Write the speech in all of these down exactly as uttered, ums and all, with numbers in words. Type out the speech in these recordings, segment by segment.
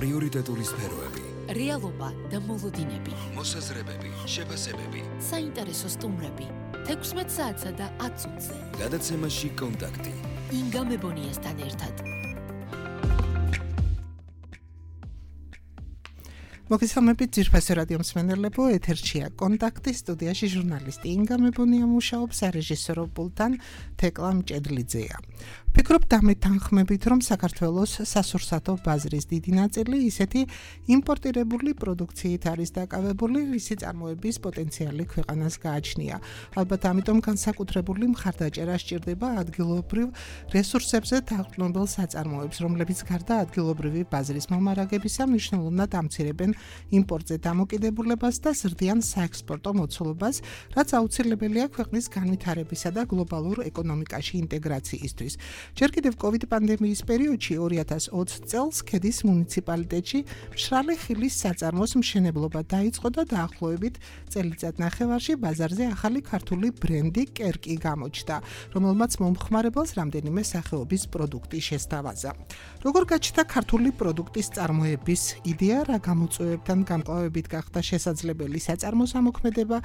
პრიორიტეტული სფეროები, რეალობა და მოლოდინები, მოსაზრებები, შეფასებები, საინტერესო სტუმრები, თექვსმეტ საათსა და ათ წუთზე. გადაცემაში კონტაქტი. ინგა მებონიასთან ერთად. მოგესალმებით ძირფასი რადიო მსმენელებო, ეთერშია კონტაქტი, სტუდიაში ჟურნალისტი ინგა მებონია მუშაობს, სარეჟისორო პულტთან თეკლა მჭედლიძეა. ფიქრობ დამეთანხმებით, რომ საქართველოს სასურსათო ბაზრის დიდი ნაწილი ისეთი იმპორტირებული პროდუქციით არის დაკავებული, რისი წარმოების პოტენციალი ქვეყანას გააჩნია. ალბათ ამიტომ განსაკუთრებული მხარდაჭერა სჭირდება ადგილობრივ რესურსებზე დაყრდნობილ საწარმოებს, რომლებიც გარდა ადგილობრივი ბაზრის მომარაგებისა მნიშვნელოვნად ამცირებენ იმპორტზე დამოკიდებულებას და ზრდიან საექსპორტო მოცულობას, რაც აუცილებელია ქვეყნის განვითარებისა და გლობალურ ეკონომიკაში ინტეგრაციისთვის. ჯერ კიდევ კოვიდ პანდემიის პერიოდში ორი ათას ოცი წელს ქედის მუნიციპალიტეტში მშრალი ხილის საწარმოს მშენებლობა დაიწყო და დაახლოებით წელიწად ნახევარში ბაზარზე ახალი ქართული ბრენდი კერკი გამოჩნდა, რომელმაც მომხმარებელს რამდენიმე სახეობის პროდუქტი შესთავაზა. როგორ გაჩნდა ქართული პროდუქტის წარმოების იდეა, რა გამოწვევებთან გამკლავებით გახდა შესაძლებელი საწარმოს ამოქმედება,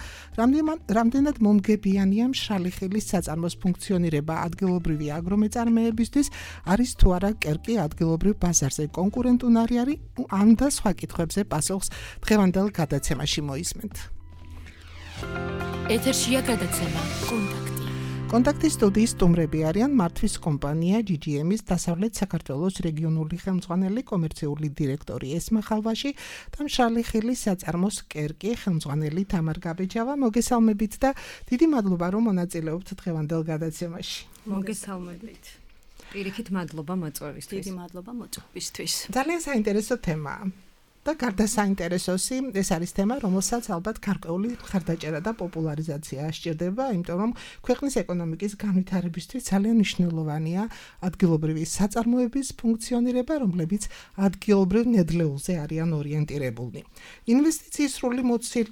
რამდენად მომგებიანია მშრალი ხილის საწარმოს ფუნქციონირება ადგილობრივი აგრომეწარმეებისთვის, არის თუ არა კერკი ადგილობრივ ბაზარზე კონკურენტუნარი არის, ამ და სხვა კითხვებზე პასუხს დღევანდელ გადაცემაში მოისმენთ. ეთერშია გადაცემა კონტაქტი. კონტაქტის სტუდიის სტუმრები არიან მართვის კომპანია ჯი ჯი ემის დასავლეთ საქართველოს რეგიონული ხელმძღვანელი კომერციული დირექტორი ესმა ხალვაში და მშრალი ხილის საწარმოს კერკი ხელმძღვანელი თამარ გაბეჯავა. მოგესალმებით და დიდი მადლობა, რომ მონაწილეობთ დღევანდელ გადაცემაში. მოგესალმებით. პირიქით მადლობა მოწვევისთვის. დიდი მადლობა მოწვევისთვის. ძალიან საინტერესო თემაა. და გარდა საინტერესოსი, ეს არის თემა, რომელსაც ალბათ გარკვეული მხარდაჭერა და პოპულარიზაცია სჭირდება, იმიტომ რომ ქვეყნის ეკონომიკის განვითარებისთვის ძალიან მნიშვნელოვანია ადგილობრივი საწარმოების ფუნქციონირება, რომლებიც ადგილობრივ ნედლეულზე არიან ორიენტირებულნი. ინვესტიციის სრული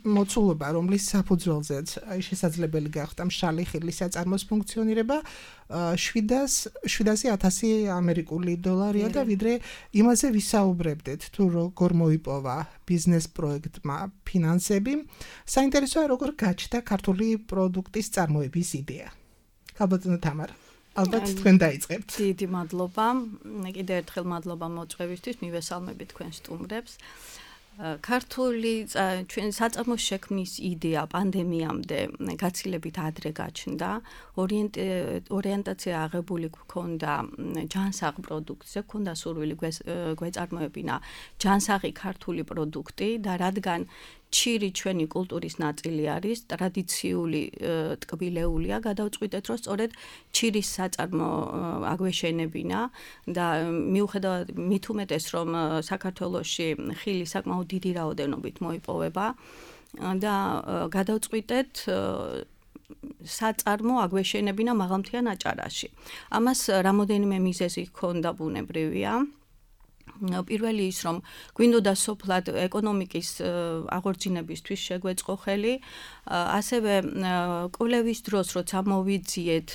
მოცულობა, რომლის საფუძველზეც შესაძლებელი გახდა მშრალი ხილის საწარმოს ფუნქციონირება, შვიდასი ათასი ამერიკული დოლარია და ვიდრე იმაზე ვისაუბრებდეთ, თუ როგორ მოიპოვა ბიზნეს პროექტმა ფინანსები, საინტერესოა როგორ გაჩნდა ქართული პროდუქტის წარმოების იდეა. ქალბატონო თამარ, ალბათ თქვენ დაიწყებთ. დიდი მადლობა. კიდევ ერთხელ მადლობა მოწვევისთვის, მივესალმებით თქვენ სტუმრებს. ქართული ჩვენ საწარმოს შექმნის იდეა პანდემიამდე გაცილებით ადრე გაჩნდა. ორიენტაცია აღებული გქონდა ჯანსაღ პროდუქტზე, გქონდა სურვილი გვეწარმოებინა ჯანსაღი ქართული პროდუქტი და რადგან ჩირი ჩვენი კულტურის ნაწილი არის, ტრადიციული ტკბილეულია, გადავწყვიტეთ, რომ სწორედ ჩირის საწარმო აგვეშენებინა და მიუხედავად მით უმეტეს, რომ საქართველოში ხილი საკმაოდ დიდი რაოდენობით მოიპოვება და გადავწყვიტეთ საწარმო აგვეშენებინა მაღალმთიან აჭარაში. ამას რამოდენიმე მიზეზი ჰქონდა ბუნებრივია. პირველი ის, რომ გვინდოდა სოფლად ეკონომიკის აღორძინებისთვის შეგვეწყო ხელი, ასევე კვლევის დროს, როცა მოვიძიეთ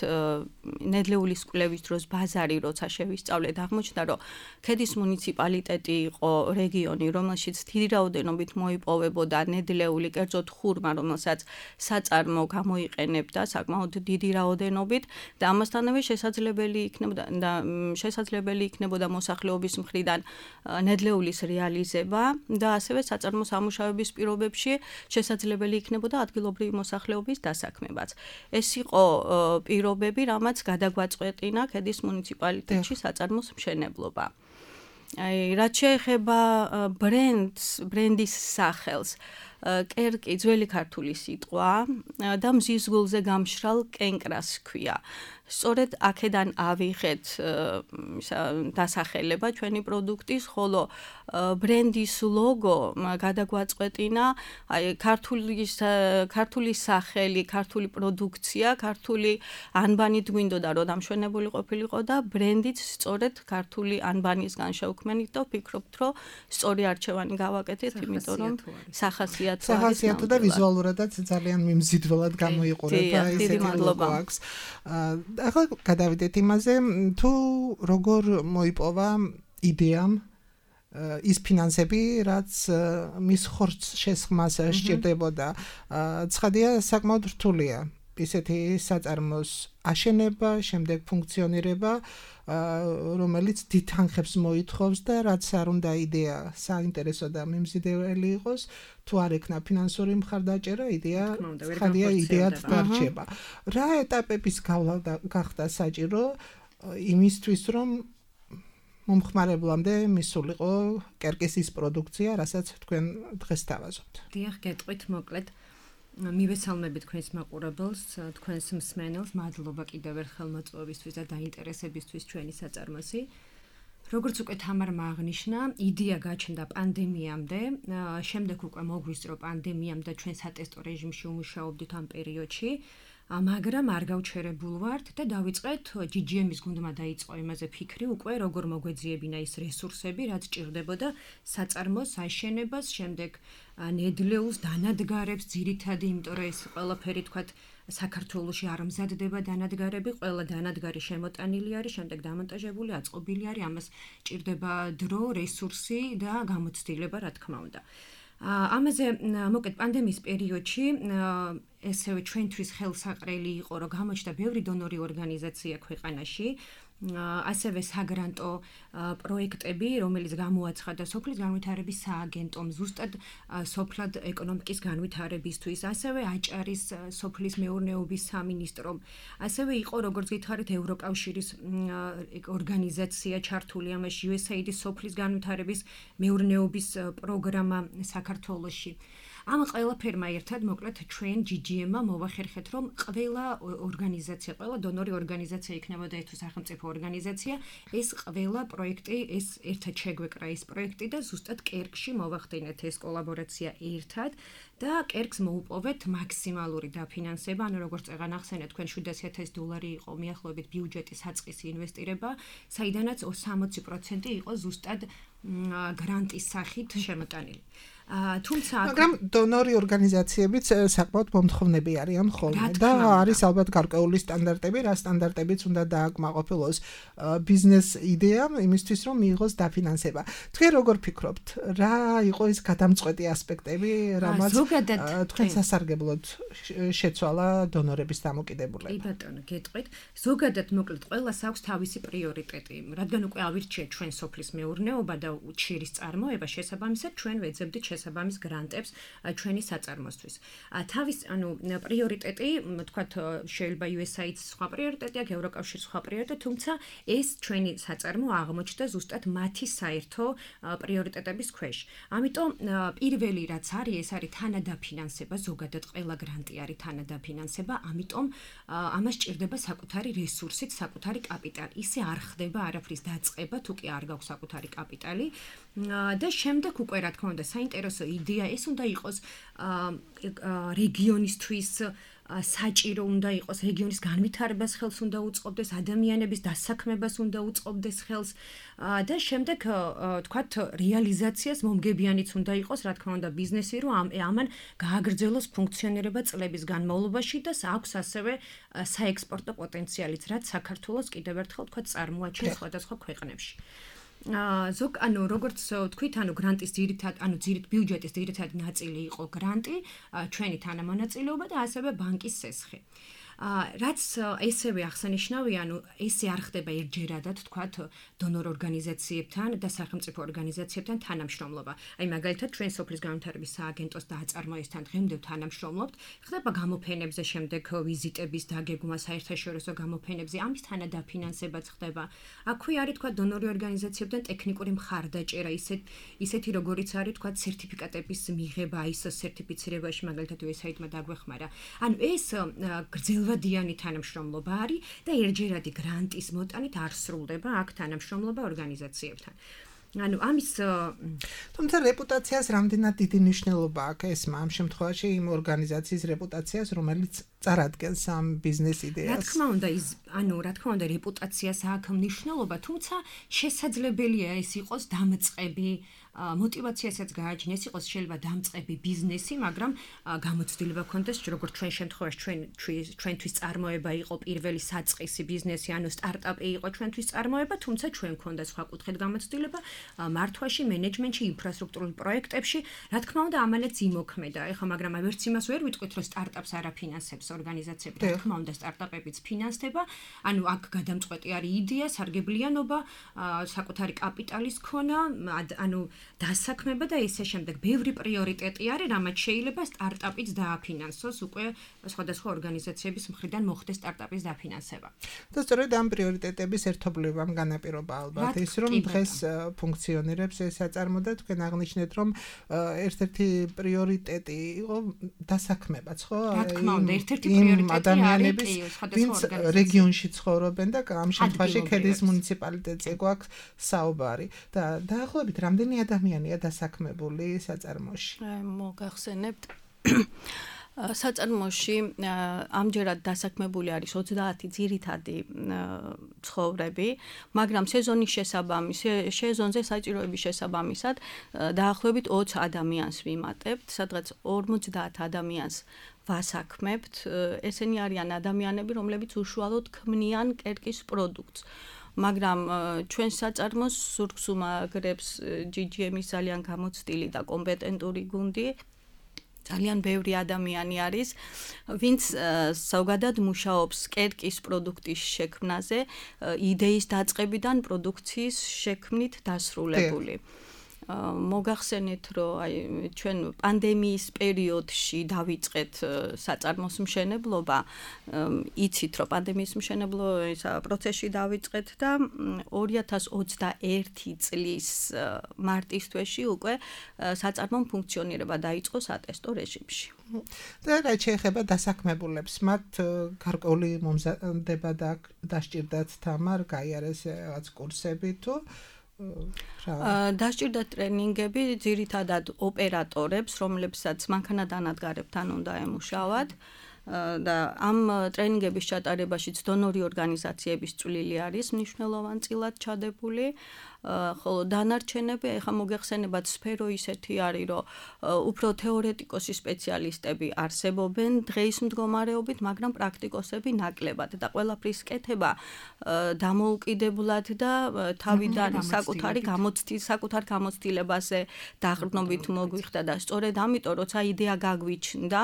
ნედლეულის კვლევის დროს ბაზარი, როცა შევისწავლეთ, აღმოჩნდა, რომ ქედის მუნიციპალიტეტი იყო რეგიონი, რომელშიც დიდი რაოდენობით მოიპოვებოდა ნედლეული, კერძოდ ხურმა, რომელსაც საწარმო გამოიყენებდა საკმაოდ დიდი რაოდენობით და ამასთანავე შესაძლებელი იქნებოდა და შესაძლებელი იქნებოდა მოსახლეობის მხრიდან ნედლეულის რეალიზება და ასევე საწარმო სამუშაოების პირობებში შესაძლებელი იქნებოდა ადგილობრივი მოსახლეობის დასაქმებაც. ეს იყო პირობები, რამაც გადაგვაწყვეტინა ქედის მუნიციპალიტეტში საწარმოს მშენებლობა. აი, რაც შეეხება ბრენდს, ბრენდის სახელს, კერკი ძველი ქართული სიტყვა და მზის გულზე გამშრალ კენკრას ჰქვია. სწორედ აქედან ავიღეთ დასახელება ჩვენი პროდუქტის, ხოლო ბრენდის ლოგო გადაგვაწყვეტინა, აი ქართული ქართული სახელი, ქართული პროდუქცია, ქართული ანბანით გვინდოდა რომ დამშვენებული ყოფილიყო და ბრენდიც სწორედ ქართული ანბანისგან შევქმნით და ვფიქრობთ, რომ სწორი არჩევანი გავაკეთეთ, იმიტომ რომ სახასიათო სახასიათო და ვიზუალურადაც ძალიან მიმზიდველად გამოიყურება ისეთი ლოგო აქვს. ახლა გადავიდეთ იმაზე, თუ როგორ მოიპოვა იდეამ ის ფინანსები, რაც მის ხორცს შესხმას სჭირდებოდა. ცხადია, საკმაოდ რთულია ისეთი საწარმოს აშენება, შემდეგ ფუნქციონირება, რომელიც დიდ თანხებს მოითხოვს და რაც არ უნდა იდეა საინტერესო და მიმზიდველი იყოს, თუ არ ექნა ფინანსური მხარდაჭერა, იდეა ცხადია იდეად დარჩება. რა ეტაპების გავლა გახდა საჭირო იმისთვის, რომ მომხმარებლამდე მისულიყო კერკის ის პროდუქცია, რასაც თქვენ დღეს დავაზობთ. დიახ, გეტყვით მოკლედ. მივესალმებით თქვენს მაყურებელს, თქვენს მსმენელს, მადლობა კიდევ ერთხელ მოწვევისთვის და დაინტერესებისთვის ჩვენი საწარმოსი. როგორც უკვე თამარმა აღნიშნა, იდეა გაჩნდა პანდემიამდე, შემდეგ უკვე მოგვისწრო პანდემიამ და ჩვენ სატესტო რეჟიმში უმუშაობდით ამ პერიოდში. მაგრამ არ გავჩერებულ ვართ და დავიწყეთ ჯი ჯი ემის გუნდმა დაიწყო იმაზე ფიქრი უკვე როგორ მოგვეძიებინა ის რესურსები, რაც ჭირდებოდა საწარმოს აშენებას, შემდეგ ნედლეულს, დანადგარებს, ძირითადი, იმიტომ რომ ეს ყველაფერი თქვათ საქართველოში არ მზადდება დანადგარები, ყველა დანადგარი შემოტანილი არის, შემდეგ დამონტაჟებული, აწყობილი არის, ამას ჭირდება დრო, რესურსი და გამოცდილება, რა თქმა უნდა. ამაზე მოკეთ პანდემიის პერიოდში ესევე ჩვენთვის ხელსაყრელი იყო, რომ გამოჩნდა ბევრი დონორი ორგანიზაცია ქვეყანაში, ასევე საგრანტო პროექტები, რომელიც გამოაცხადა სოფლის განვითარების სააგენტომ, ზუსტად სოფლად ეკონომიკის განვითარებისთვის, ასევე აჭარის სოფლის მეურნეობის სამინისტრომ, ასევე იყო, როგორც გითხარით, ევროკავშირის ორგანიზაცია ჩართული ამაში, იუ ეს ეი აიდის სოფლის განვითარების მეურნეობის პროგრამა საქართველოში. ამ ყველაფერმა ერთად მოკლედ ჩვენ ჯი ჯი ემ-მა მოვახერხეთ, რომ ყველა ორგანიზაცია, ყველა დონორი ორგანიზაცია იქნებოდა თუ სახელმწიფო ორგანიზაცია, ეს ყველა პროექტი, ეს ერთად შეგვეკრა ეს პროექტი და ზუსტად კერკში მოვახდინეთ ეს კოლაბორაცია ერთად და კერკს მოუპოვეთ მაქსიმალური დაფინანსება, ანუ როგორც წეგან ახსენეთ, თქვენ შვიდასი ათასი დოლარი იყო მიახლოებით ბიუჯეტის საწყისი ინვესტირება, საიდანაც სამოცი პროცენტი იყო ზუსტად გრანტის სახით შემოტანილი. თუმცა მაგრამ დონორი ორგანიზაციებიც საკმაოდ მომთხოვნები არიან ხოლმე და არის ალბათ გარკვეული სტანდარტები, რა სტანდარტებიც უნდა დააკმაყოფილოს ბიზნეს იდეამ იმისთვის, რომ მიიღოს დაფინანსება. თქვენ როგორ ფიქრობთ, რა იყო ის გადამწყვეტი ასპექტები, რამაც თქვენ სასარგებლოდ შეცვალა დონორების დამოკიდებულება? კი ბატონო, გეტყვით. ზოგადად მოკლედ ყველას აქვს თავისი პრიორიტეტი, რადგან უკვე ავირჩიეთ ჩვენ სოფლის მეურნეობა და უჩირის წარმოება, შესაბამისად ჩვენ ვეძებდით შესაბამის გრანტებს ჩვენი საწარმოსთვის. თავის, ანუ პრიორიტეტი, თქვათ, შეიძლება იუ ეს ეი აიდის სხვა პრიორიტეტი აქვს, ევროკავშირის სხვა პრიორიტეტი, თუმცა ეს ჩვენი საწარმო აღმოჩნდა ზუსტად მათი საერთო პრიორიტეტების ქვეშ. ამიტომ პირველი რაც არის, ეს არის თანადაფინანსება, ზოგადად ყველა გრანტი არის თანადაფინანსება, ამიტომ ამას ჭირდება საკუთარი რესურსით, საკუთარი კაპიტალი. ისე არ ხდება არაფრის დაწყება, თუ კი არ გაქვს საკუთარი კაპიტალი. და შემდეგ უკვე რა თქმა უნდა საინტერესო იდეა ეს უნდა იყოს რეგიონისთვის საჭირო უნდა იყოს, რეგიონის განვითარებას ხელს უნდა უწყობდეს, ადამიანების დასაქმებას უნდა უწყობდეს ხელს და შემდეგ თქვათ რეალიზაციას მომგებიანიც უნდა იყოს, რა თქმა უნდა ბიზნესი, რომ ამან გააგრძელოს ფუნქციონირება წლების განმავლობაში და აქვს ასევე საექსპორტო პოტენციალიც, რაც საქართველოს კიდევ ერთხელ თქვათ წარმოაჩენს სხვადასხვა ქვეყნებში. ზოგ ანუ როგორც თქვით, ანუ გრანტის ძირითად, ანუ ძირით ბიუჯეტის ძირითადი ნაწილი იყო გრანტი, ჩვენი თანამონაწილეობა და ასევე ბანკის სესხი. რაც ესევე აღსანიშნავია, ანუ ესე არ ხდება ერთჯერადად, თქვათ, დონორ ორგანიზაციებთან და სახელმწიფო ორგანიზაციებთან თანამშრომლობა. აი მაგალითად, ჩვენ სოფლის განვითარების სააგენტოს დააწარმოებასთან დღემდე თანამშრომლობთ, ხდება გამოფენებზე, შემდეგ ვიზიტების დაგეგმა, საერთაშორისო გამოფენებზე, ამის თანადაფინანსებაც ხდება. აქვე არის, თქვათ, დონორი ორგანიზაციებთან ტექნიკური მხარდაჭერა, ისეთ ისეთი როგორიც არის, თქვათ, სერტიფიკატების მიღება, აი ეს სერტიფიცირებაში, მაგალითად, იუ ეს ეი აიდმა დაგვეხმარა. ანუ ეს გრძელვადიანი დიანი თანამშრომლობა არის და ერთჯერადი გრანტის მოტანით არ სრულდება აქ თანამშრომლობა ორგანიზაციებთან. ანუ ამის თუმცა რეპუტაციას რამდენად დიდი მნიშვნელობა აქვს ესმა ამ შემთხვევაში იმ ორგანიზაციის რეპუტაციას, რომელიც წარადგენს ამ ბიზნეს იდეას. რა თქმა უნდა, ის ანუ რა თქმა უნდა რეპუტაციას აქვს მნიშვნელობა, თუმცა შესაძლებელია ეს იყოს დამწყები მოტივაციასაც გააჩნიეს, იყოს შეიძლება დამწყები ბიზნესი, მაგრამ გამოცდილება ქონდეს, როგორც ჩვენ შემთხვევაში ჩვენ ჩვენთვის წარმოება იყო პირველი საწყისი ბიზნესი, ანუ სტარტაპი იყო ჩვენთვის წარმოება, თუმცა ჩვენ ქონდა სხვა კუთხით გამოცდილება მართვაში, მენეჯმენტში, ინფრასტრუქტურულ პროექტებში, რა თქმა უნდა, ამალაც იმოქმედა. ეხლა მაგრამ ვერც იმას ვერ ვიტყვით, რომ სტარტაპს არ აფინანსებს ორგანიზაციები, რა თქმა უნდა, სტარტაპებიც ფინანსდება, ანუ აქ გადამწყვეტი არის იდეა, სარგებლიანობა, საკუთარი კაპიტალის ქონა, ანუ დასაქმება და ისე შემდეგ. ბევრი პრიორიტეტი არის, რამაც შეიძლება სტარტაპიც დააფინანსოს, უკვე სხვადასხვა ორგანიზაციების მხრიდან მოხდეს სტარტაპის დაფინანსება. და სწორედ ამ პრიორიტეტების ერთობლებამ განაპირობა ალბათ ის, რომ დღეს ფუნქციონირებს ეს საწარმო და თქვენ აღნიშნეთ, რომ ერთ-ერთი პრიორიტეტი იყო დასაქმებაც, ხო? რა თქმა უნდა, ერთ-ერთი პრიორიტეტი არის ვინც რეგიონში ცხოვრობენ და ამ შემთხვევაში ქედის მუნიციპალიტეტზე გვაქვს საუბარი და დაახლოებით რამდენი ადამიანია დასაქმებული საწარმოში? მოგახსენებთ საწარმოში ამჯერად დასაქმებული არის ოცდაათი ძირითადი ცხოვრები, მაგრამ სეზონის შესაბამის, სეზონზე საჭიროების შესაბამისად დაახლოებით ოცი ადამიანს ვიმატებთ, სადღაც ორმოცდაათ ადამიანს ვასაქმებთ. ესენი არიან ადამიანები, რომლებიც უშუალოდ ქმნიან კერკის პროდუქტს. მაგრამ ჩვენ საწარმოს ზურგს უმაგრებს ჯი ჯი ემის ძალიან გამოცდილი და კომპეტენტური გუნდი. ძალიან ბევრი ადამიანი არის, ვინც ზოგადად მუშაობს კერკის პროდუქტის შექმნაზე, იდეის დაწყებიდან პროდუქციის შექმნით დასრულებული. მოგახსენეთ, რომ აი ჩვენ პანდემიის პერიოდში დავიწყეთ საწარმოს მშენებლობა, იცით, რომ პანდემიის მშენებლო ისა პროცესში დავიწყეთ და ორი ათას ოცდაერთი წლის მარტის თვეში უკვე საწარმომ ფუნქციონირება დაიწყო სატესტო რეჟიმში. და რა შეეხება დასაქმებულებს, მათ გარკვეული მომზადება და დასჭირდათ თამარ, გაიარეს რაღაც კურსები თუ დასჭირდა ტრენინგები ძირითადად ოპერატორებს, რომლებსაც მანქანადანადგარებთან უნდა ემუშავათ და ამ ტრენინგების ჩატარებაშიც დონორი ორგანიზაციების წვლილი არის მნიშვნელოვანწილად ჩადებული. ხოლო დანარჩენები, ეხლა მოგეხსენებათ, სფერო ისეთი არის, რომ უფრო თეორეტიკოსი სპეციალისტები არსებობენ დღეის მდგომარეობით, მაგრამ პრაქტიკოსები ნაკლებად და ყველაფრის კეთება დამოუკიდებლად და თავიდან საკუთარი გამოცდილება, საკუთარ გამოცდილებაზე დაყრდნობით მოგვიხდა და სწორედ ამიტომ, როცა იდეა გაგვიჩნდა,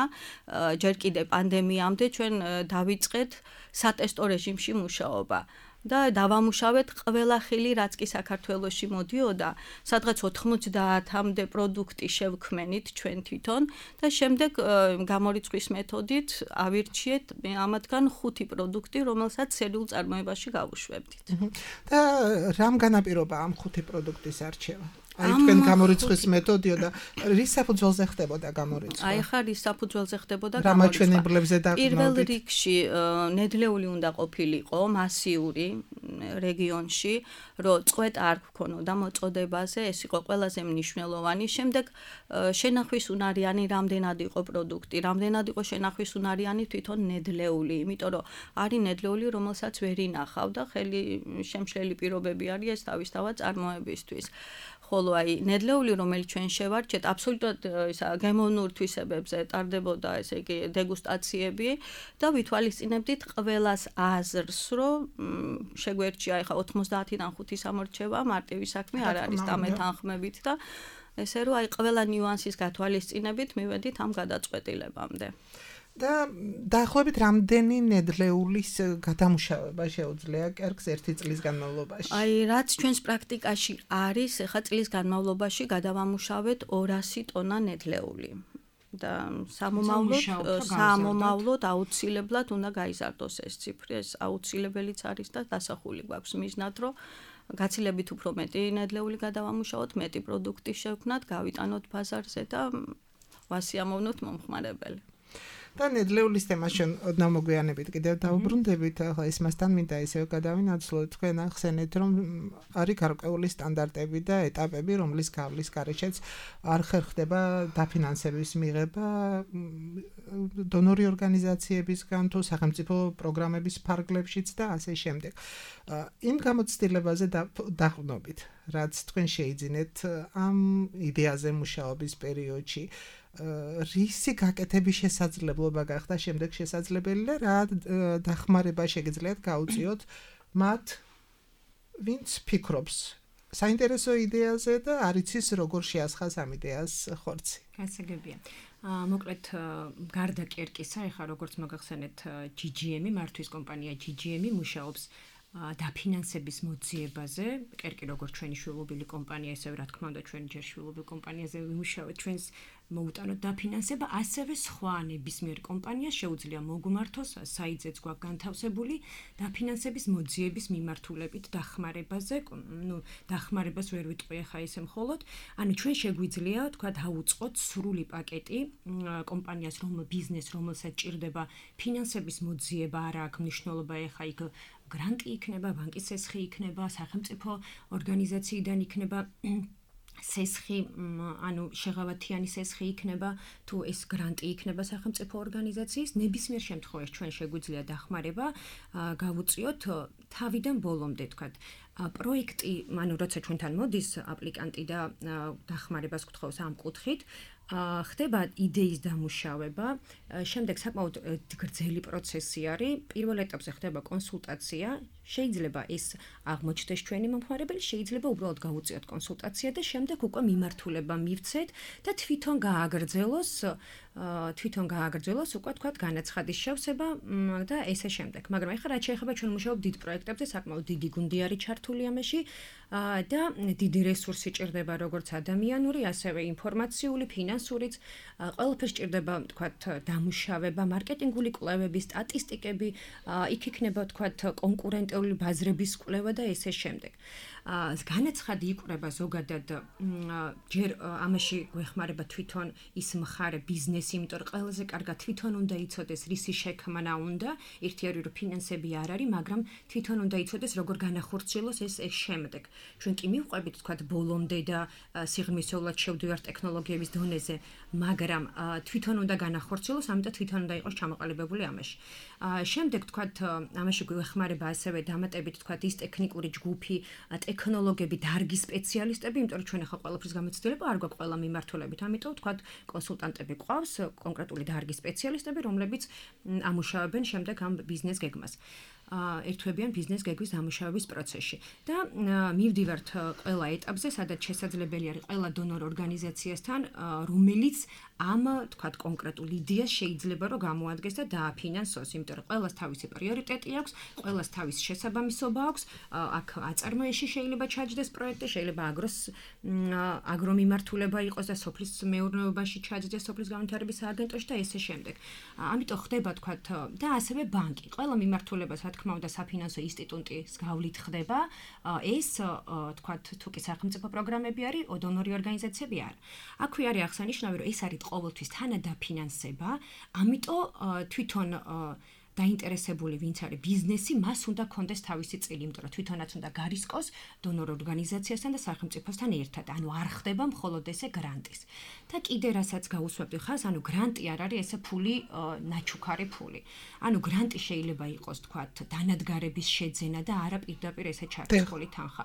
ჯერ კიდე პანდემიამდე ჩვენ დავიწყეთ სატესტო რეჟიმში მუშაობა. და დავამუშავეთ ყველა ხილი, რაც კი საქართველოში მოდიოდა, სადღაც ოთხმოცდაათამდე პროდუქტი შევქმენით ჩვენ თვითონ და შემდეგ გამორიცხვის მეთოდით ავირჩიეთ ამათგან ხუთი პროდუქტი, რომელსაც სერიულ წარმოებაში გავუშვებდით. და რამ განაპირობა ამ ხუთი პროდუქტის არჩევა? აი თქვენ გამორიცხვის მეთოდიო და რის საფუძველზე ხდებოდა გამორიცხვა? აი ხა რის საფუძველზე ხდებოდა გამორიცხვა? რა მაჩვენებლებზე დაყრდნობით? პირველ რიგში ნედლეული უნდა ყოფილიყო მასიური რეგიონში, რომ წვეტა არ გქონოდა მოწოდებაზე, ეს იყო ყველაზე მნიშვნელოვანი. შემდეგ შენახვის უნარიანი რამდენად იყო პროდუქტი, რამდენად იყო შენახვის უნარიანი თვითონ ნედლეული, იმიტომ რომ არის ნედლეული, რომელსაც ვერ ინახავ და ხელი შემშლელი პირობები არის ეს თავისთავად წარმოებისთვის. ხოლო აი ნედლეული, რომელიც ჩვენ შევარჩეთ, აბსოლუტურად ისა გემოვნურ თვისებებზე ტარდებოდა, ესე იგი დეგუსტაციები და ვითვალისწინებდით ყველას აზრს, რომ შეგვერჩია ახლა ოცდაათიდან ხუთი სამორჩევა, მარტივი საქმე არ არის დამეთანხმებით და ესე რომ აი ყველა ნიუანსის გათვალისწინებით მივედით ამ გადაწყვეტილებამდე. და დაახლოებით რამდენი ნედლეულის გადამუშავება შეუძლია კერკს ერთი წლის განმავლობაში? აი რაც ჩვენს პრაქტიკაში არის, ახლა წლის განმავლობაში გადავამუშავეთ ორასი ტონა ნედლეული. და სამომავლოდ სამომავლოდ აუცილებლად უნდა გაიზარდოს ეს ციფრი, ეს აუცილებელიც არის და დასახული გვაქვს მიზნად, რომ გაცილებით უფრო მეტი ნედლეული გადავამუშავოთ, მეტი პროდუქტი შევქმნათ, გავიტანოთ ბაზარზე და ვასიამოვნოთ მომხმარებელი. და ნედლეულის თემაში ოდნავ მოგვიანებით კიდევ დავუბრუნდებით, ახლა ის მასთან მინდა ისევ გადავინაცვლოთ, თქვენ ახსენეთ, რომ არის გარკვეული სტანდარტები და ეტაპები, რომლის გავლის გარეშეც არ ხერხდება დაფინანსების მიღება დონორი ორგანიზაციებისგან თუ სახელმწიფო პროგრამების ფარგლებშიც და ასე შემდეგ. იმ გამოცდილებაზე დაყრდნობით, რაც თქვენ შეიძინეთ ამ იდეაზე მუშაობის პერიოდში, რისი გაკეთების შესაძლებლობა გახდა შემდეგ შესაძლებელი და რა დახმარება შეგიძლიათ გაუწიოთ მათ, ვინც ფიქრობს საინტერესო იდეაზე და არ იცის როგორ შეასხას ამ იდეას ხორცი. გასაგებია. მოკლედ გარდა კერკისა, ეხლა როგორც მოგახსენეთ ჯი ჯი ემი, მართვის კომპანია ჯი ჯი ემი მუშაობს დაფინანსების მოძიებაზე, კერკი როგორც ჩვენი შვილობილი კომპანია, ისევ რა თქმა უნდა ჩვენი ჯერ შვილობილ კომპანიაზე ვიმუშავეთ, ჩვენს მოუტანოთ დაფინანსება, ასევე სხვა ნებისმიერ კომპანიას შეუძლია მოგმართოს საიძეც გვაქვს განთავსებული დაფინანსების მოძიების მიმართულებით დახმარებაზე, ნუ დახმარებას ვერ ვიტყვი ახლა ისე მხოლოდ, ანუ ჩვენ შეგვიძლია თქვა დაუწყოთ სრული პაკეტი კომპანიას, რომ ბიზნეს, რომელსაც ჭირდება ფინანსების მოძიება, არა აქვს მნიშვნელობა ახლა იქ გრანტი იქნება, ბანკის სესხი იქნება, სახელმწიფო ორგანიზაციიდან იქნება სესხი, ანუ შეღავათიანი სესხი იქნება, თუ ეს გრანტი იქნება სახელმწიფო ორგანიზაციის, ნებისმიერ შემთხვევაში ჩვენ შეგვიძლია დახმარება გავუწიოთ თავიდან ბოლომდე, თქვათ, პროექტი, ანუ როცა ჩვენთან მოდის აპლიკანტი და დახმარებას გთხოვს ამ კუთხით, ხდება იდეის დამუშავება, შემდეგ საკმაოდ გრძელი პროცესი არის, პირველ ეტაპზე ხდება კონსულტაცია, შეიძლება ეს აღმოჩნდეს ჩვენი მომხმარებელი, შეიძლება უბრალოდ გავუწიოთ კონსულტაცია და შემდეგ უკვე მიმართულება მივცეთ და თვითონ გააგრძელოს, თვითონ გააგრძელოს უკვე თქვა განაცხადის შევსება და ესე შემდეგ. მაგრამ ეხლა რაც შეეხება ჩვენ მუშაობთ დიდ პროექტებზე, საკმაოდ დიდი გუნდი არის ჩართული ამაში და დიდი რესურსი ჭირდება როგორც ადამიანური, ასევე ინფორმაციული, ფინანსურიც, ყველაფერს ჭირდება თქვა დამუშავება, მარკეტინგული კვლევები, სტატისტიკები, იქ იქნება თქვა კონკურენტული ბაზრების კვლევა და ესე შემდეგ. განაცხადი იკვრება ზოგადად ჯერ ამაში გვეხმარება თვითონ ის მხარე ბიზნესი, იმიტომ რომ ყველაზე კარგად თვითონ უნდა იცოდეს რისი შექმნა უნდა, ერთი არის რომ ფინანსები არ არის, მაგრამ თვითონ უნდა იცოდეს როგორ განახორციელოს ეს ეს შემდეგ. ჩვენ კი მივყვებით თქვა ბოლომდე და სიღრმისეულად შევდივართ ტექნოლოგიების დონეზე, მაგრამ თვითონ უნდა განახორციელოს, ამიტომ თვითონ უნდა იყოს ჩამოყალიბებული ამაში. შემდეგ თქვა ამაში გვეხმარება ასევე დამატებით თქვა ის ტექნიკური ჯგუფი, ტექნოლოგები, დარგის სპეციალისტები, იმიტომ რომ ჩვენ ახლა ყველაფრის გამოცდილება არ გვაქვს ყველა მიმართულებით, ამიტომ თქვა კონსულტანტები გვყავს, კონკრეტული დარგის სპეციალისტები, რომლებიც ამუშავებენ შემდეგ ამ ბიზნეს გეგმას. ერთვებიან ბიზნეს გეგმის დამუშავების პროცესში და მივდივართ ყველა ეტაპზე, სადაც შესაძლებელი არის ყველა დონორ ორგანიზაციასთან, რომელიც ამ თქვა კონკრეტულ იდეას შეიძლება რომ გამოადგეს და დააფინანსოს, იმიტომ რომ ყველას თავისი პრიორიტეტი აქვს, ყველას თავისი შესაბამისობა აქვს, აქ აწარმოებში შეიძლება ჩაჯდეს პროექტი, შეიძლება აგროს აგრომიმართულება იყოს და სოფლის მეურნეობაში ჩაჯდეს სოფლის განვითარების სააგენტოში და ესე შემდეგ. ამიტომ ხდება თქვა და ასევე ბანკი, ყველა მიმართულებას თქმა უნდა საფინანსო ინსტიტუტის გავლით ხდება, ეს თქვა თუ კი სახელმწიფო პროგრამები არის, დონორი ორგანიზაციები არ. აქვე არის აღსანიშნავი, რომ ეს არის ყოველთვის თანადაფინანსება, ამიტომ თვითონ დაინტერესებული ვინც არის ბიზნესი, მას უნდა კონდეს თავისი წილი, იმიტომ რომ თვითონაც უნდა გარისკოს დონორ ორგანიზაციასთან და სახელმწიფოსთან ერთად, ანუ არ ხდება მხოლოდ ესე გრანტის. და კიდე რასაც გაუსვებდი ხას, ანუ გრანტი არ არის ესე ფული, ნაჩუქარი ფული. ანუ გრანტი შეიძლება იყოს, თქვათ, დანადგარების შეძენა და არა პირდაპირ ესე ჩარჩხული თანხა.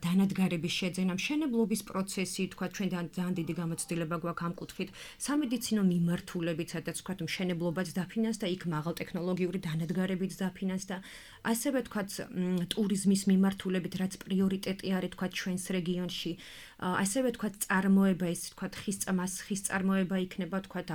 დანადგარების შეძენა, მშენებლობის პროცესი, თქვათ, ჩვენ ძალიან დიდი გამოცდილება გვაქვს ამ კუთხით, სამედიცინო მიმართულებით, სადაც თქვათ, მშენებლობაც დაფინანს და იქ მაღალ ტექნოლოგიური დანადგარებით დაფინანს და ასევე თქვათ ტურიზმის მიმართულებით, რაც პრიორიტეტი არის თქვათ ჩვენს რეგიონში, ასევე თქვათ წარმოება, ეს თქვათ ხის წამას, ხის წარმოება იქნება თქვათ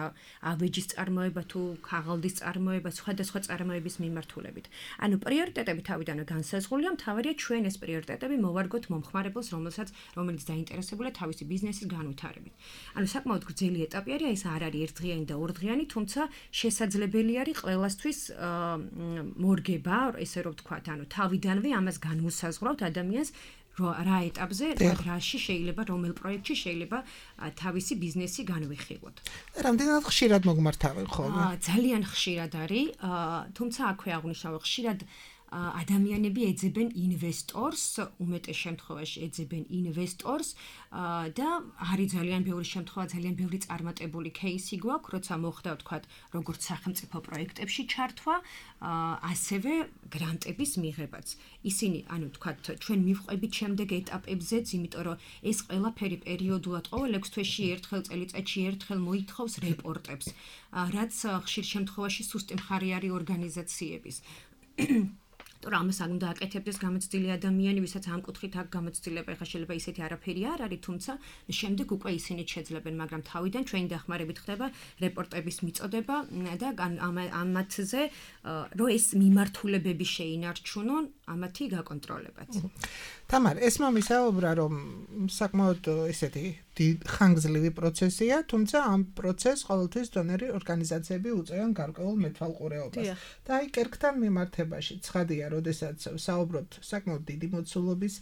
ავეჯის წარმოება თუ ქაღალდის წარმოება, სხვადასხვა წარმოების მიმართულებით. ანუ პრიორიტეტები თავიდანვე განსაზღვრულია, მთავარია ჩვენ ეს პრიორიტეტები მოვარგოთ მომხმარებელს, რომელსაც რომელიც დაინტერესებულია თავისი ბიზნესის განვითარებით. ანუ საკმაოდ გრძელი ეტაპი არის, ეს არ არის ერთდღიანი და ორდღიანი, თუმცა შესაძლებელი არის ყველასთვის მორგება, ესე რომ ვთქვათ, ანუ თავიდანვე ამას განუსაზღვრავთ ადამიანს, რა ეტაპზე, რაში შეიძლება რომელ პროექტში შეიძლება თავისი ბიზნესი განვიხილოთ. რამდენად ხშირად მოგმართავენ ხოლმე? ძალიან ხშირად არის, თუმცა აქვე აღნიშნავ, ხშირად ადამიანები ეძებენ ინვესტორს, უმეტეს შემთხვევაში ეძებენ ინვესტორს და არის ძალიან ბევრი შემთხვევა, ძალიან ბევრი წარმატებული кейსი გვაქვს, როცა მოხდა ვთქვათ, როგორც სახელმწიფო პროექტებში ჩართვა, ასევე გრანტების მიღებაც. ისინი, ანუ ვთქვათ, ჩვენ მივყვებით შემდეგ ეტაპებზეც, იმიტომ რომ ეს ყველაფერი პერიოდულად ყოველ ექვს თვეში ერთხელ, წელიწადში ერთხელ მოითხოვს რეპორტებს, რაც ხშირ შემთხვევაში სუსტი მხარე არის ორგანიზაციების. თორემ ამას არ უნდა აკეთებდეს გამოცდილი ადამიანი, ვისაც ამ კუთხით აქვს გამოცდილება, ეხლა შეიძლება ისეთი არაფერი არ არის, თუმცა შემდეგ უკვე ისინი შეძლებენ, მაგრამ თავიდან ჩვენი დახმარებით ხდება რეპორტების მიწოდება და ამათზე, რომ ეს მიმართულებები შეინარჩუნონ, ამათი გაკონტროლებაც. თამარ, ეს მომისაუბრა, რომ საკმაოდ ესეთი ხანგრძლივი პროცესია, თუმცა ამ პროცესს ყოველთვის დონორი ორგანიზაციები უწევენ გარკვეულ მეთვალყურეობას. და აი კერქთან მიმართებაში ცხადია, როდესაც საუბრობთ საკმაოდ დიდი მოცულობის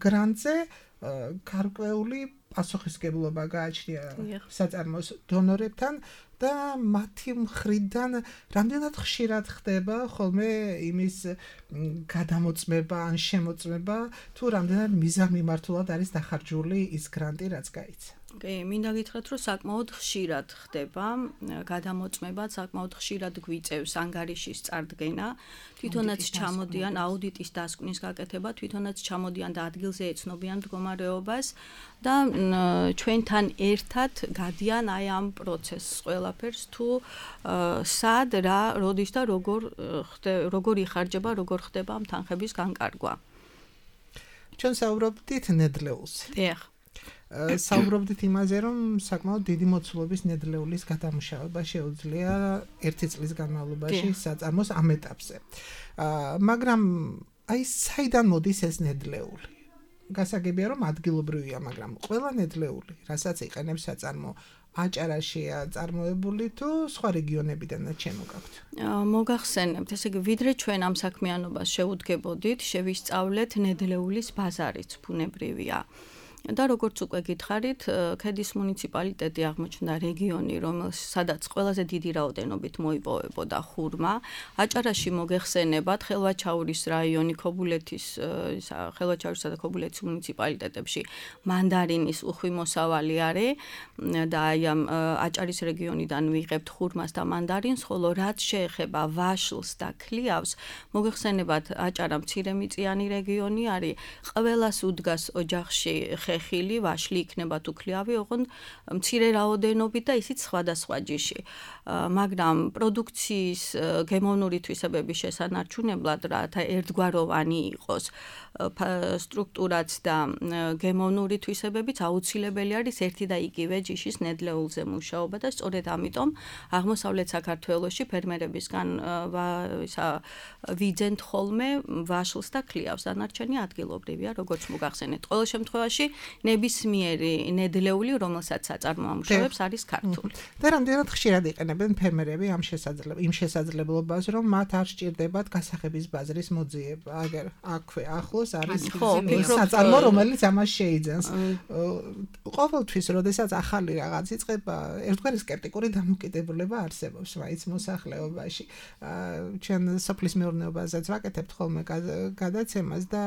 გრანტზე, გარკვეული პასუხისმგებლობა გააჩნია საწარმოს დონორებთან და მათი მხრიდან რამდენად ხშირად ხდება ხოლმე იმის გადამოწმება ან შემოწმება, თუ რამდენად მიზანმიმართულად არის დახარჯული ის გრანტი, რაც გაიცა. კი, მინდა გითხრათ, რომ საკმაოდ ხშირად ხდება გადამოწმება, საკმაოდ ხშირად გვიწევს ანგარიშის წარდგენა, თვითონაც ჩამოდიან აუდიტის დასკვნის გაკეთება, თვითონაც ჩამოდიან და ადგილზე ეცნობიან მდგომარეობას და ჩვენთან ერთად გადიან აი ამ პროცესს ყველაფერს, თუ სად რა, როდის და როგორ როგორ იხარჯება, როგორ ხდება ამ თანხების განკარგვა. ჩვენ საუბრობდით ნედლეულზე. დიახ. საუბრობდით იმაზე, რომ საკმაოდ დიდი მოცულობის ნედლეულის გადამუშავება შეუძლია ერთი წლის განმავლობაში საწარმოს ამ ეტაპზე. მაგრამ აი საიდან მოდის ეს ნედლეული? გასაგებია, რომ ადგილობრივია, მაგრამ ყველა ნედლეული, რასაც იყენებს საწარმო, აჭარაშია წარმოებული თუ სხვა რეგიონებიდანაც შემოგაქვთ? მოგახსენებთ, ესე იგი, ვიდრე ჩვენ ამ საქმიანობას შევუდგებოდით, შევისწავლეთ ნედლეულის ბაზარიც ბუნებრივია. და როგორც უკვე გითხარით, ქედის მუნიციპალიტეტი აღმოჩნდა რეგიონი, რომელსაც ყველაზე დიდი რაოდენობით მოიპოვებოდა ხურმა. აჭარაში მოგეხსენებათ, ხელვაჩაურის რაიონი, ქობულეთის, ხელვაჩაურისა და ქობულეთის მუნიციპალიტეტებში მანდარინის უხვი მოსავალი არის და აი ამ აჭარის რეგიონიდან ვიღებთ ხურმას და მანდარინს, ხოლო რაც შეეხება ვაშლს და ქლიავს, მოგეხსენებათ, აჭარა მცირემიწიანი რეგიონი არის, ყველას უდგას ოჯახში ხილი, ვაშლი იქნება თუ ქლიავი, ოღონდ მცირე რაოდენობით და ისიც სხვადასხვა ჯიში. მაგრამ პროდუქციის გემოვნური თვისებების შესანარჩუნებლად, რათა ერთგვაროვანი იყოს სტრუქტურაც და გემოვნური თვისებებიც აუცილებელი არის ერთი და იგივე ჯიშის ნედლეულზე მუშაობა და სწორედ ამიტომ აღმოსავლეთ საქართველოში ფერმერებისგან ვიძენთ ხოლმე ვაშლს და ქლიავს, დანარჩენი ადგილობრივია, როგორც მოგახსენეთ. ყოველ შემთხვევაში ნებისმიერი ნედლეული, რომელსაც საწარმო ამუშავებს, არის ქართული. და რამდენად ხშირად იყენებენ ფერმერები ამ შესაძლებლობას, იმ შესაძლებლობას, რომ მათ არ სჭირდებათ გასახების ბაზრის მოძიება, აგერ აქვე ახლოს არის საწარმო, რომელიც ამას შეიძენს. ყოველთვის, როდესაც ახალი რაღაც იწყება, ერთგვარი სკეპტიკური დამოკიდებულება არსებობს მაინც მოსახლეობაში. ჩვენ სოფლის მეურნეობაზეც ვაკეთებთ ხოლმე გადაცემას და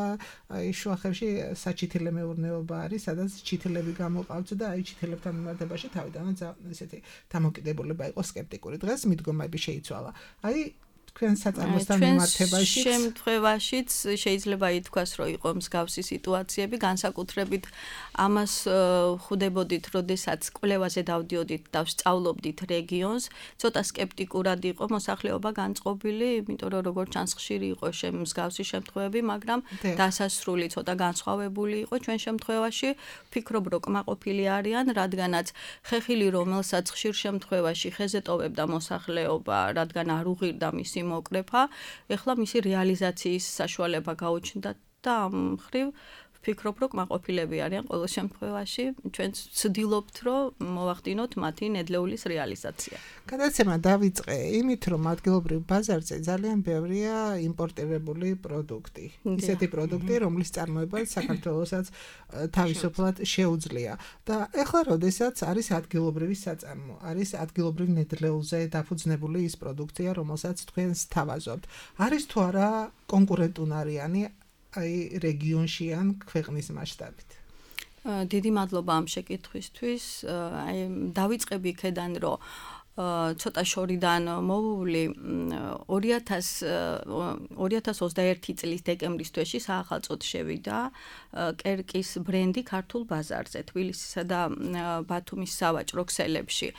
აი შუახევში საჩითილე მეურნეობა არის, სადაც ჩითილები გამოყავთ და აი ჩითილებთან მიმართებაში თავიდანაც ესეთი დამოკიდებულება იყო სკეპტიკური. დღეს მიდგომები შეიცვალა. აი თქვენ საწარმოსთან მიმართებაში შემთხვევაშიც შეიძლება ითქვას, რომ იყო მსგავსი სიტუაციები, განსაკუთრებით ამას ხვდებოდით, როდესაც კვლევაზე დავდიოდით და ვსწავლობდით რეგიონს, ცოტა სკეპტიკურად იყო მოსახლეობა განწყობილი, იმიტომ რომ როგორც ჩანს ხშირი იყო მსგავსი შემთხვევები, მაგრამ დასასრული ცოტა განსხვავებული იყო ჩვენ შემთხვევაში. ვფიქრობ, რომ კმაყოფილი არიან, რადგანაც ხეხილი, რომელსაც ხშირ შემთხვევაში ხეზე ტოვებდა მოსახლეობა, რადგან არ უღირდა მისი მოკრეფა, ეხლა მისი რეალიზაციის საშუალება გაუჩნდა და ამ მხრივ ვფიქრობ, რომ კმაყოფილები არიან ყოველ შემთხვევაში, ჩვენ ვცდილობთ, რომ მოვახდინოთ მათი ნედლეულის რეალიზაცია. გადაცემა დავიწყე იმით, რომ ადგილობრივ ბაზარზე ძალიან ბევრია იმპორტირებული პროდუქტი. ისეთი პროდუქტი, რომლის წარმოება საქართველოსაც თავისუფლად შეუძლია. და ეხლა როდესაც არის ადგილობრივი საწარმო, არის ადგილობრივ ნედლეულზე დაფუძნებული ის პროდუქცია, რომელსაც თქვენ სთავაზობთ. არის თუ არა კონკურენტუნარიანი აი რეგიონში ან ქვეყნის მასშტაბით? დიდი მადლობა ამ შეკითხვისთვის. აი დავიწყები იქედან, რომ ცოტა შორიდან მოვული ორი ათას ოცდაერთი წლის დეკემბრის თვეში საახალწოდ შევიდა კერკის ბრენდი ქართულ ბაზარზე, თბილისისა და ბათუმის სავაჭრო ქსელებში.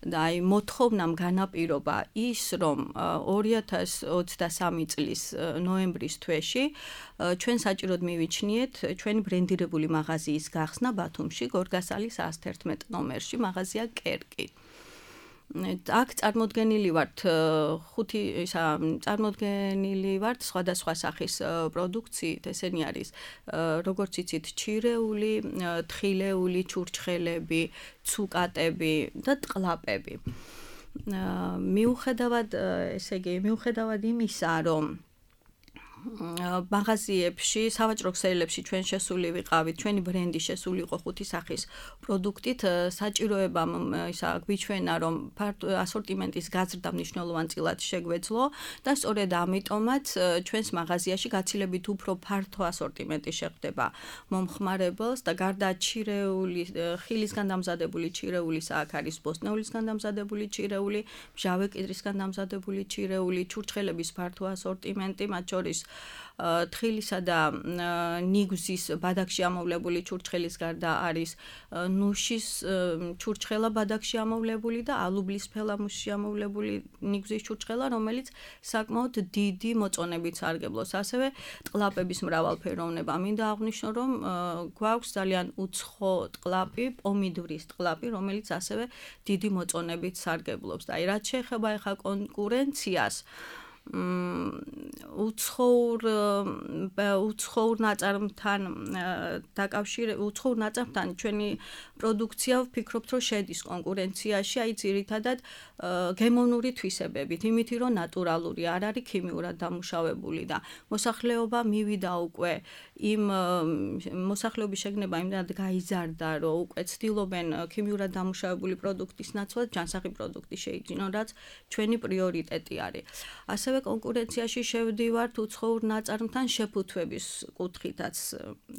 და აი მოთხოვნამ განაპირობა ის, რომ ორი ათას ოცდასამი წლის ნოემბრის თვეში ჩვენ საჭიროდ მივიჩნიეთ ჩვენი ბრენდირებული მაღაზიის გახსნა ბათუმში, გორგასალის ას თერთმეტ ნომერში, მაღაზია კერკი. აქ წარმოდგენილი ვართ ხუთი ისა წარმოდგენილი ვართ სხვადასხვა სახის პროდუქციით, ესენი არის როგორც იცით ჩირეული, თხილეული, ჩურჩხელები, ცუკატები და ტყლაპები. მიუხედავად ესე იგი მიუხედავად იმისა, რომ მაღაზიებში, სავაჭრო ქსელებში ჩვენ შესული ვიყავით, ჩვენი ბრენდი შესული იყო ხუთი სახის პროდუქტით, საჭიროებამ ისა გვიჩვენა, რომ ასორტიმენტის გაზრდა მნიშვნელოვანწილად შეგვეძლო და სწორედ ამიტომაც ჩვენს მაღაზიაში გაცილებით უფრო ფართო ასორტიმენტი შეხვდება მომხმარებელს და გარდა ჩირეული, ხილისგან დამზადებული ჩირეულისა, აქ არის ბოსტნეულისგან დამზადებული ჩირეული, მჟავე კედრისგან დამზადებული ჩირეული, ჩურჩხელების ფართო ასორტიმენტი, მათ შორის თხილისა და ნიგზის ბადაკში ამოვლებული ჩურჩხელის გარდა არის ნუშის ჩურჩხელა ბადაკში ამოვლებული და ალუბლის ფელამუსში ამოვლებული ნიგზის ჩურჩხელა, რომელიც საკმაოდ დიდი მოწონებით სარგებლობს. ასევე ტყლაპების მრავალფეროვნება. მინდა აღვნიშნო, რომ გვაქვს ძალიან უცხო ტყლაპი, პომიდვრის ტყლაპი, რომელიც ასევე დიდი მოწონებით სარგებლობს. და აი რაც შეეხება ახლა კონკურენციას, უცხოურ უცხოურ ნაწარმთან დაკავშირებით, უცხოურ ნაწარმთან ჩვენი პროდუქცია ვფიქრობთ, რომ შედის კონკურენციაში, აი ძირითადად გემოვნური თვისებებით, იმით, რომ ნატურალური არ არის ქიმიურად დამუშავებული და მოსახლეობა მივიდა უკვე იმ მოსახლეობის შეგნება იმდანად გაიზარდა, რომ უკვე ცდილობენ ქიმიურად დამუშავებული პროდუქტის ნაცვლად ჯანსაღი პროდუქტი შეიძინონ, რაც ჩვენი პრიორიტეტი არის. ასევე კონკურენციაში შევდივართ უცხოურ ნაწარმთან შეფუთვების კუთხითაც,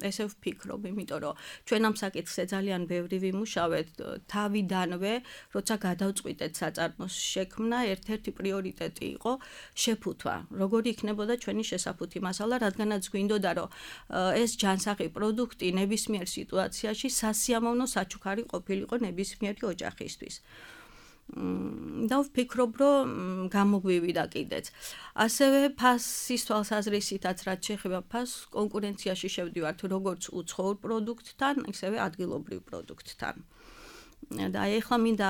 ესე ვფიქრობ, იმიტომ რომ ჩვენ ამ საკითხზე ძალიან ბევრი ვიმუშავეთ თავიდანვე, როცა გადავწყვიტეთ საწარმოს შექმნა, ერთ-ერთი პრიორიტეტი იყო შეფუთვა. როგორი იქნებოდა ჩვენი შესაფუთი მასალა, რადგანაც გვინდოდა, რომ ეს ჯანსაღი პროდუქტი ნებისმიერ სიტუაციაში სასიამოვნო საჩუქარი ყოფილიყო ნებისმიერი ოჯახისთვის. და ვფიქრობ, რომ გამოგვივიდა კიდეც. ასევე ფასის თვალსაზრისითაც რაც შეეხება ფასს, კონკურენციაში შევდივართ როგორც უცხოურ პროდუქტთან, ისევე ადგილობრივ პროდუქტთან. და აი ახლა მინდა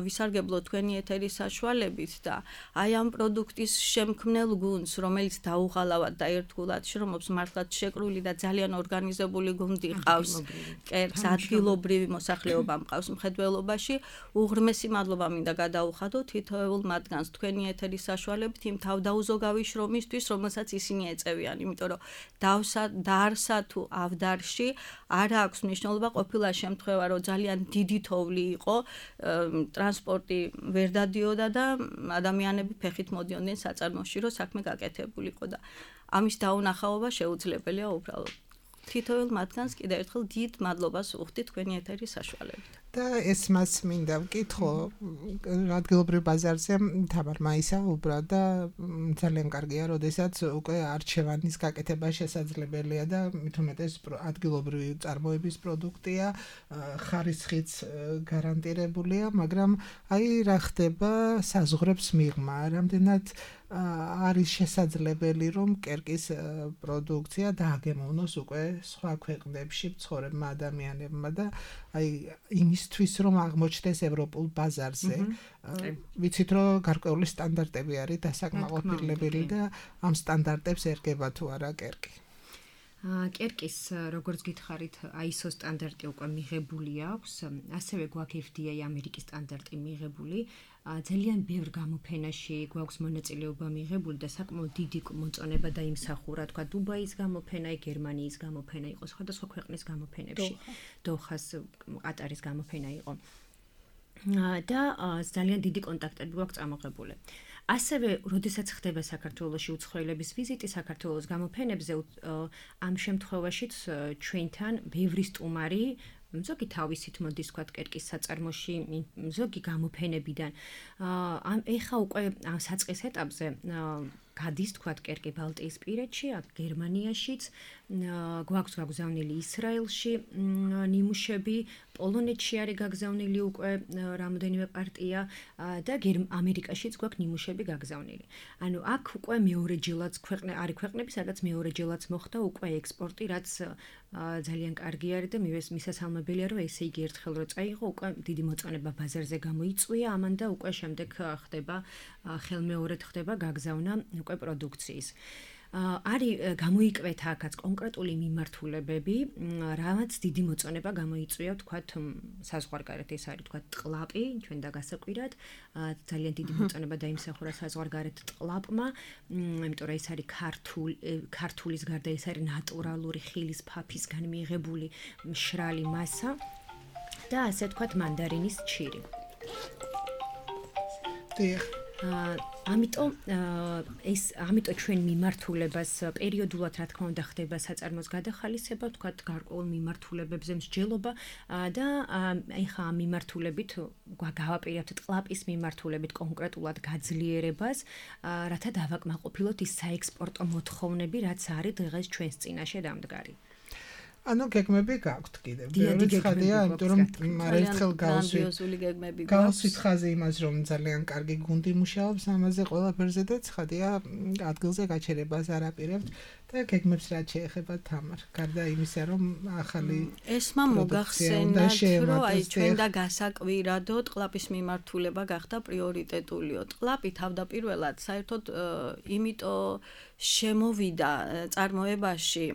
ვისარგებლო თქვენი ეთერის საშუალებით და აი ამ პროდუქტის შემქმნელ გუნდს, რომელიც დაუღალავად და ერთგულად შრომობს, მართლაც შეკრული და ძალიან ორგანიზებული გუნდი ყავს, კერკს ადგილობრივი მოსახლეობა მყავს მხედველობაში. უღრმესი მადლობა მინდა გადაუხადო თითოეულ მათგანს თქვენი ეთერის საშუალებით იმ თავდაუზოგავი შრომისთვის, რომელსაც ისინი ეწევიან, იმიტომ რომ დავსა დაარსა თუ ავდარში არ აქვს მნიშვნელობა, ყოფილა შემთხვევა, რომ ძალიან დიდი თოვლი იყო, ტრანსპორტი ვერ დადიოდა და ადამიანები ფეხით მოდიოდნენ საწარმოში, რომ საქმე გაკეთებულიყო და ამის დაუნახაობა შეუძლებელია უბრალოდ. თითოეულ მათგანს კიდევ ერთხელ დიდ მადლობას ვუხდი თქვენი ეთერის საშუალებით. და ეს მას მინდა ვკითხო, ადგილობრივ ბაზარზე თამარ მაისაუბრა და ძალიან კარგია, როდესაც უკვე არჩევანის გაკეთება შესაძლებელია და მით უმეტეს ადგილობრივი წარმოების პროდუქტია, ხარისხიც გარანტირებულია, მაგრამ აი რა ხდება საზღვრებს მიღმა, რამდენად არის შესაძლებელი, რომ კერკის პროდუქცია დააგემოვნოს უკვე სხვა ქვეყნებში მცხოვრებმა ადამიანებმა და აი იმისთვის, რომ აღმოჩნდეს ევროპულ ბაზარზე. ვიცით, რომ გარკვეული სტანდარტები არის დასაკმაყოფილებელი და ამ სტანდარტებს ერგება თუ არა კერკი. კერკის როგორც გითხარით აი ეს ო სტანდარტი უკვე მიღებული აქვს, ასევე გვაქვს ეფ დი ეი ამერიკის სტანდარტი მიღებული. ძალიან ბევრ გამოფენაში გვაქვს მონაწილეობა მიღებული და საკმაოდ დიდი მოწონება დაიმსახურა, თქვა დუბაის გამოფენა, გერმანიის გამოფენა იყო, სხვადასხვა ქვეყნის გამოფენებში. დოხას, ყატარის გამოფენა იყო. და ძალიან დიდი კონტაქტები გვაქვს წამოღებული. ასევე, როდესაც ხდება საქართველოში უცხოელების ვიზიტი საქართველოს გამოფენებზე, ამ შემთხვევაშიც ჩვენთან ბევრი სტუმარი ზოგი თავისით მოდის თქვა კერკის საწარმოში, ზოგი გამოფენებიდან. ამ ეხა უკვე ამ საწყის ეტაპზე გადის თქვა კერკი ბალტიისპირეთში, გერმანიაშიც, გვაქვს გაგზავნილი ისრაელში ნიმუშები, პოლონეთში არის გაგზავნილი უკვე რამოდენიმე პარტია და ამერიკაშიც გვაქვს ნიმუშები გაგზავნილი. ანუ აქ უკვე მეორეჯერაც ქვეყნე არის ქვეყნები, სადაც მეორეჯერაც მოხდა უკვე ექსპორტი, რაც ძალიან კარგი არის და მისასალმებელია, რომ ესე იგი ერთხელ რო წაიღო, უკვე დიდი მოწონება ბაზარზე გამოიწვია ამან და უკვე შემდეგ ხდება ხელმეორედ ხდება გაგზავნა უკვე პროდუქციის. არის გამოიკვეთა აქაც კონკრეტული მიმართულებები, რამაც დიდი მოწონება გამოიწვია, თქვათ, საზღვარგარეთ ეს არის თქვათ ტყლაპი, ჩვენ და გასაკვირად, ძალიან დიდი მოწონება დაიმსახურა საზღვარგარეთ ტყლაპმა, იმიტომ რომ ეს არის ქართული, ქართულის გარდა ეს არის ნატურალური ხილის ფაფისგან მიღებული მშრალი მასა და ასე თქვათ მანდარინის ჩირი. დიახ. ამიტომ ეს ამიტომ ჩვენ მიმართულებას პერიოდულად რა თქმა უნდა ხდება საწარმოს გადახალისება, თქვათ გარკვეულ მიმართულებებზე მსჯელობა და ეხა ამ მიმართულებით გავაპირებთ ტყლაპის მიმართულებით კონკრეტულად გაძლიერებას, რათა დავაკმაყოფილოთ ის საექსპორტო მოთხოვნები, რაც არის დღეს ჩვენს წინაშე დამდგარი. ანუ გეგმები გაქვთ კიდევ. ბევრი ცხადია, იმიტომ რომ ერთხელ გრანდიოზული გეგმები გაქვთ. გავსვით ხაზი იმას, რომ ძალიან კარგი გუნდი მუშაობს ამაზე ყველაფერზე და ცხადია ადგილზე გაჩერებას არ აპირებთ და გეგმებს რაც შეეხება თამარ. გარდა იმისა, რომ ახალი ესმა მოგახსენათ, რომ აი ჩვენ და გასაკვირადო ტყლაპის მიმართულება გახდა პრიორიტეტულიო. ტყლაპი თავდაპირველად საერთოდ იმიტომ შემოვიდა წარმოებაში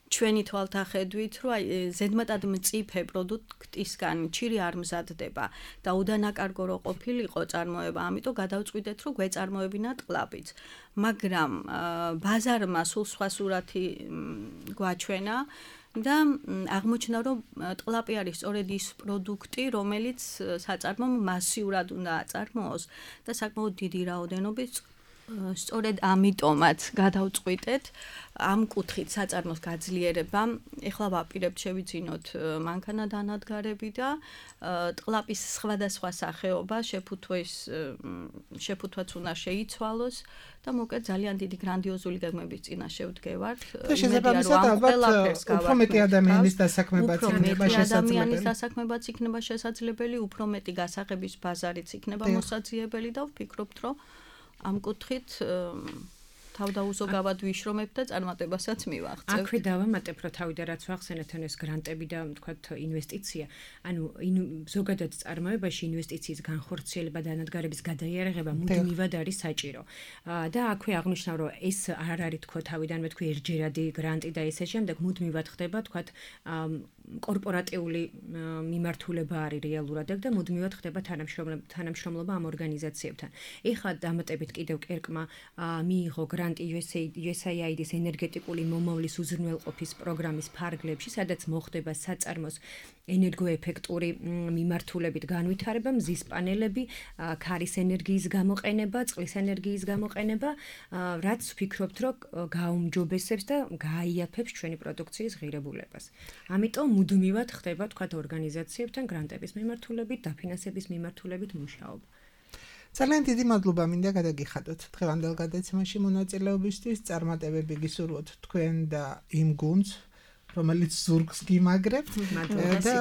ჩვენი თვალთახედვით, რომ აი ზედმეტად მწიფე პროდუქტისგან ჩირი არ მზადდება და უდანაკარგო რო ყოფილიყო წარმოება, ამიტომ გადავწყვიტეთ, რომ გვეწარმოებინა ტყლაპიც. მაგრამ ბაზარმა სულ სხვა სურათი გვაჩვენა და აღმოჩნდა, რომ ტყლაპი არის სწორედ ის პროდუქტი, რომელიც საწარმომ მასიურად უნდა აწარმოოს და საკმაოდ დიდი რაოდენობით სწორედ ამიტომაც გადავწყვიტეთ ამ კუთხით საწარმოს გაძლიერება. ეხლა ვაპირებთ შევიძინოთ მანქანა დანადგარები და ტყლაპის სხვადასხვა სახეობა შეფუთვეს შეფუთვაც უნდა შეიცვალოს და მოკლედ ძალიან დიდი გრანდიოზული გეგმების წინაშე ვდგევართ. და შესაბამისად ალბათ უფრო მეტი ადამიანის დასაქმებაც იქნება შესაძლებელი. ადამიანის დასაქმებაც იქნება შესაძლებელი, უფრო მეტი გასაღების ბაზარიც იქნება მოსაძიებელი და ვფიქრობთ, რომ ამ კუთხით თავდაუზოგავად ვიშრომებ და წარმატებასაც მივაღწევ. აქვე დავამატებ, რომ თავიდან რაც ვახსენეთ, ეს გრანტები და თქვათ ინვესტიცია, ანუ ზოგადად წარმოებაში ინვესტიციის განხორციელება და დანადგარების გადაიარაღება მუდმივად არის საჭირო. და აქვე აღნიშნავ, რომ ეს არ არის თქო თავიდანვე თქვი ერთჯერადი გრანტი და ესე შემდეგ მუდმივად ხდება, თქვათ კორპორატიული მიმართულება არის რეალურად და მუდმივად ხდება თანამშრომლობა ამ ორგანიზაციებთან. ეხლა დამატებით კიდევ კერკმა მიიღო გრანტი იუ ეს ეი აი დის ენერგეტიკული მომავლის უზრუნველყოფის პროგრამის ფარგლებში, სადაც მოხდება საწარმოს ენერგოეფექტური მიმართულებით განვითარება, მზის პანელები, ქარის ენერგიის გამოყენება, წყლის ენერგიის გამოყენება, რაც ვფიქრობთ, რომ გააუმჯობესებს და გააიაფებს ჩვენი პროდუქციის ღირებულებას. ამიტომ მუდმივად ხდება თქვათ ორგანიზაციებთან გრანტების მიმართულებით, დაფინანსების მიმართულებით მუშაობა. ძალიან დიდი მადლობა მინდა გადაგიხადოთ დღევანდელ გადაცემაში მონაწილეობისთვის. წარმატებები გისურვოთ თქვენ და იმ გუნდს, რომელიც ზურგს გიმაგრებთ და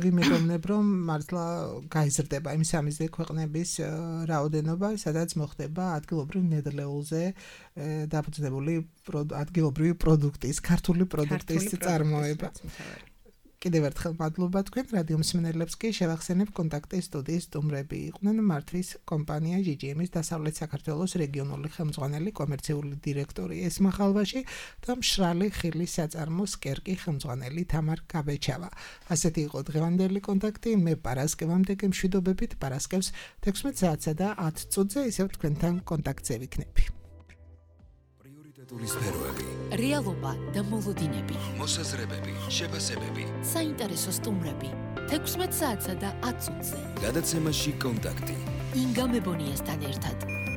ვიმედოვნებ, რომ მართლა გაიზრდება იმ სამიზნე ქვეყნების რაოდენობა, სადაც მოხდება ადგილობრივ ნედლეულზე დაფუძნებული ადგილობრივი პროდუქტის, ქართული პროდუქტის წარმოება. კიდევ ერთხელ მადლობა თქვენ რადიო მსმენელებს კი შევახსენებ კონტაქტის სტუდიის სტუმრები იყვნენ მართვის კომპანია ჯი ჯი ემის დასავლეთ საქართველოს რეგიონული ხელმძღვანელი კომერციული დირექტორი ესმა ხალვაში და მშრალი ხილის საწარმოს კერკი ხელმძღვანელი თამარ გაბეჩავა. ასეთი იყო დღევანდელი კონტაქტი. მე პარასკევამდე გემშვიდობებით პარასკევს თექვსმეტ საათსა და ათ წუთზე ისევ თქვენთან კონტაქტზე ვიქნები. პრიორიტეტული სფეროები, რეალობა და მოლოდინები, მოსაზრებები, შეფასებები, საინტერესო სტუმრები. თექვსმეტ საათსა და ათ წუთზე. გადაცემაში კონტაქტი. ინგა მებონიასთან ერთად.